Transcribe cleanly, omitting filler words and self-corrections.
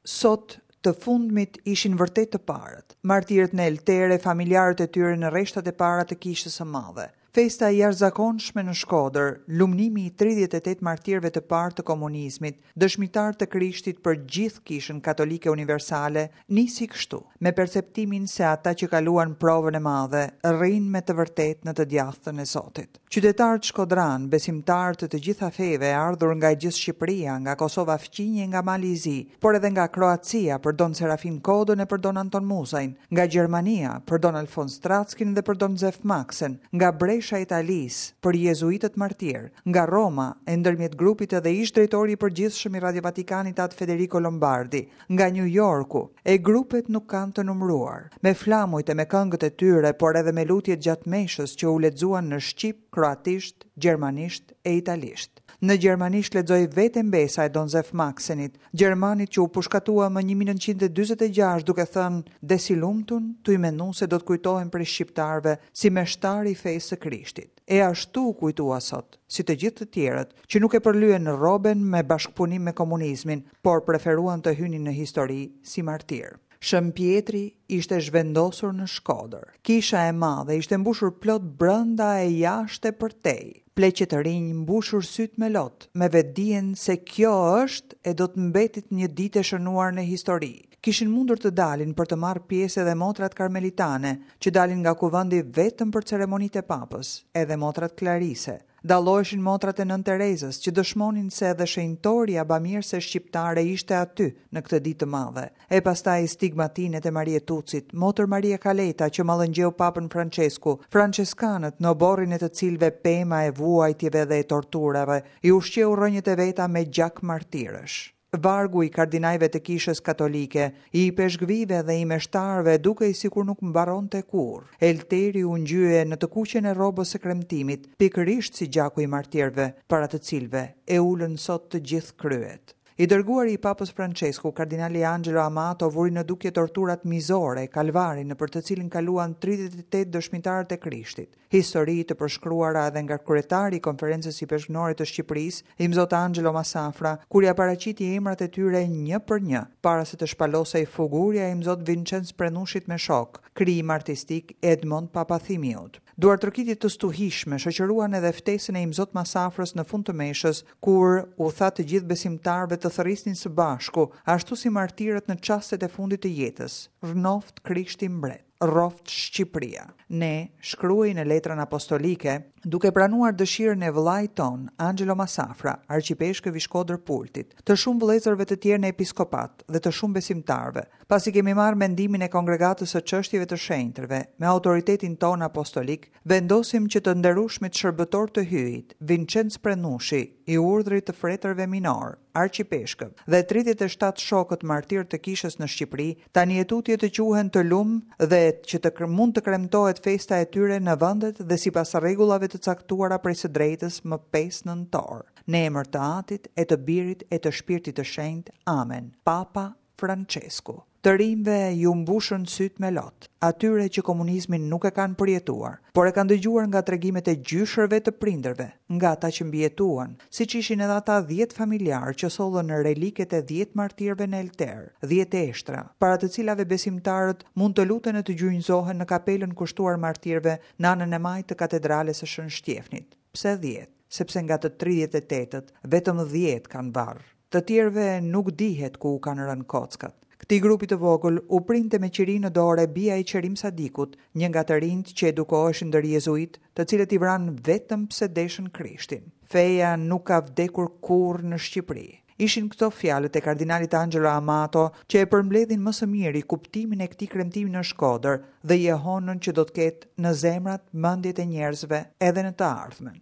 Sot, të fundmit ishin vërtet të parët, martirët në Elter e familjarët e tyre në rreshtat e para të Kishës së Madhe. Festa e jashtëzakonshme në Shkodër, lumnimi i 38 martirëve të parë të komunizmit, dëshmitarë të Krishtit për gjithë Kishën Katolike Universale, nisi kështu, me perceptimin se ata që kaluan provën e madhe, rrinë me të vërtetë në të djathtën e Zotit. Qytetarët shkodranë, besimtarë të të gjitha feve, ardhur nga e gjithë Shqipëria, nga Kosova fqinje, nga Mali i Zi, por edhe nga Kroacia për Don Serafin Kodën e për Don Anton Muzajn, nga Gjermania për Don Alfons Trackin dhe për Don Zef Maksen, nga Bresha e Italisë për jezuitët martirë, nga Roma, e ndërmjet grupit edhe ish-drejtori i përgjithshëm i Radio Vatikanit Atë Federico Lombardi, nga Nju Jorku, e grupet nuk kanë të numëruar, me flamujt e me këngët e tyre, por edhe me lutjet gjatë meshës që u lexuan në shqip, kroatisht, gjermanisht e italisht. Në gjermanisht lexoi vetë e mbesa e Don Zef Maksenit, gjermanit që u pushkatua më 1946 duke thënë des i lumtun tuj menu se do të kujtohem prej shqiptarëve si meshtar i fesë së Krishtit. E ashtu u kujtua sot, si të gjithë të tjerët, që nuk e përlyen rroben me bashkëpunim me komunizmin, por preferuan të hynin në histori si martirë. Shën Pjetri ishte zhvendosur në Shkodër. Kisha e madhe ishte mbushur plot brenda e jashtë e përtej. Pleq e të rinj mbushur sytë me lot, me vetëdijen se kjo është e do të mbetet një ditë e shënuar në histori. Kishin mundur të dalin për të marrë pjesë edhe motrat karmelitane, që dalin nga kuvendi vetëm për ceremonitë e Papës, edhe motrat Klarise. Dalloheshin motrat e Nënë Terezës, që dëshmonin se edhe shenjtorja bamirëse shqiptare ishte aty, në këtë ditë të madhe. E pastaj stigmatinet e Marie Tucit, motër Maria Kaleta që mallëngjeu Papën Françesku, françeskanët në oborrin e të cilëve pema e vuajtjeve dhe e torturave i ushqeu rrënjët e veta me gjak martirësh. Vargu i kardinajve të Kishës Katolike, i ipeshkvijve dhe i meshtarëve dukej sikur nuk mbaronte kurrë. Elteri u ngjye në të kuqen e rrobës së kremtimit, pikërisht si gjaku i martirëve, para të cilëve e ulën sot të gjithë kryet. I dërguari i Papës Françesku, kardinali Angelo Amato vuri në dukje torturat mizore, kalvarin nëpër të cilin kaluan 38 dëshmitarët e Krishtit. Histori të përshkruara edhe nga kryetari i Konferencës Ipeshkvnore të Shqipërisë, Imzot Angelo Massafra, kur ia paraqiti emrat e tyre një për një, para se të shpalosej fugurja e Imzot Vinçenc Prennushit me shokë, krijim artistik i Edmond Papathimiut. Duartrokitje të stuhishme shoqëruan edhe ftesën e Imzot Massafrës në fund të meshës, kur u tha të gjithë besimtarëve të thërrisnin së bashku, ashtu si martirët në çastet e fundit të jetës, Rrnoftë Krishti Mbret! Rroftë Shqipëria! Ne, shkruhej në letrën apostolike, duke pranuar dëshirën e vëllait tonë, Angelo Massafra, arqipeshkëv i Shkodër-Pultit, të shumë vëllezërve të tjerë në episkopat dhe të shumë besimtarëve, pasi kemi marrë mendimin e Kongregatës së Çështjeve të Shenjtërve, me autoritetin tonë apostolik, vendosim që të nderushmit shërbëtorë të Hyjit, Vinçenc Prennushi, i Urdhrit të Fretërve Minorë, arqipeshkëv, dhe 37 shokët martirë të Kishës në Shqipëri, tani e tutje të quhen të lum dhe që të mund të kremtohet festa e tyre në vendet dhe sipas rregullave të caktuara prej së drejtës më 5 nëntor. Në emër të Atit e të Birit e të Shpirtit të Shenjtë. Amen. Papa Françesku. Të rinjve iu mbushën sytë me lot, atyre që komunizmin nuk e kanë përjetuar, por e kanë dëgjuar nga tregimet e gjyshërve të prindërve, nga ata që mbijetuan, siç ishin edhe ata 10 familjarë që sollën reliket e 10 martirëve në Elter, 10 eshtra, para të cilave besimtarët mund të luten e të gjunjëzohen në kapelën kushtuar martirëve në anën e majtë të katedrales së Shën Shtjefnit. Pse 10? Sepse nga të 38-ët, vetëm 10 kanë varr. Të tjerëve nuk dihet ku u kanë rënë kockat. Këtij grupi të vogël u printe me qiri në dorë e bija e Qerim Sadikut, një nga të rinjtë që edukoheshin ndër jezuitë, të cilët i vranë vetëm pse deshën Krishtin. Feja nuk ka vdekur kurrë në Shqipëri. Ishin këto fjalët e kardinalit Angelo Amato që e përmbledhin më së miri kuptimin e këtij kremtimi në Shkodër dhe jehonën që do të ketë në zemrat, mendjet e njerëzve edhe në të ardhmen.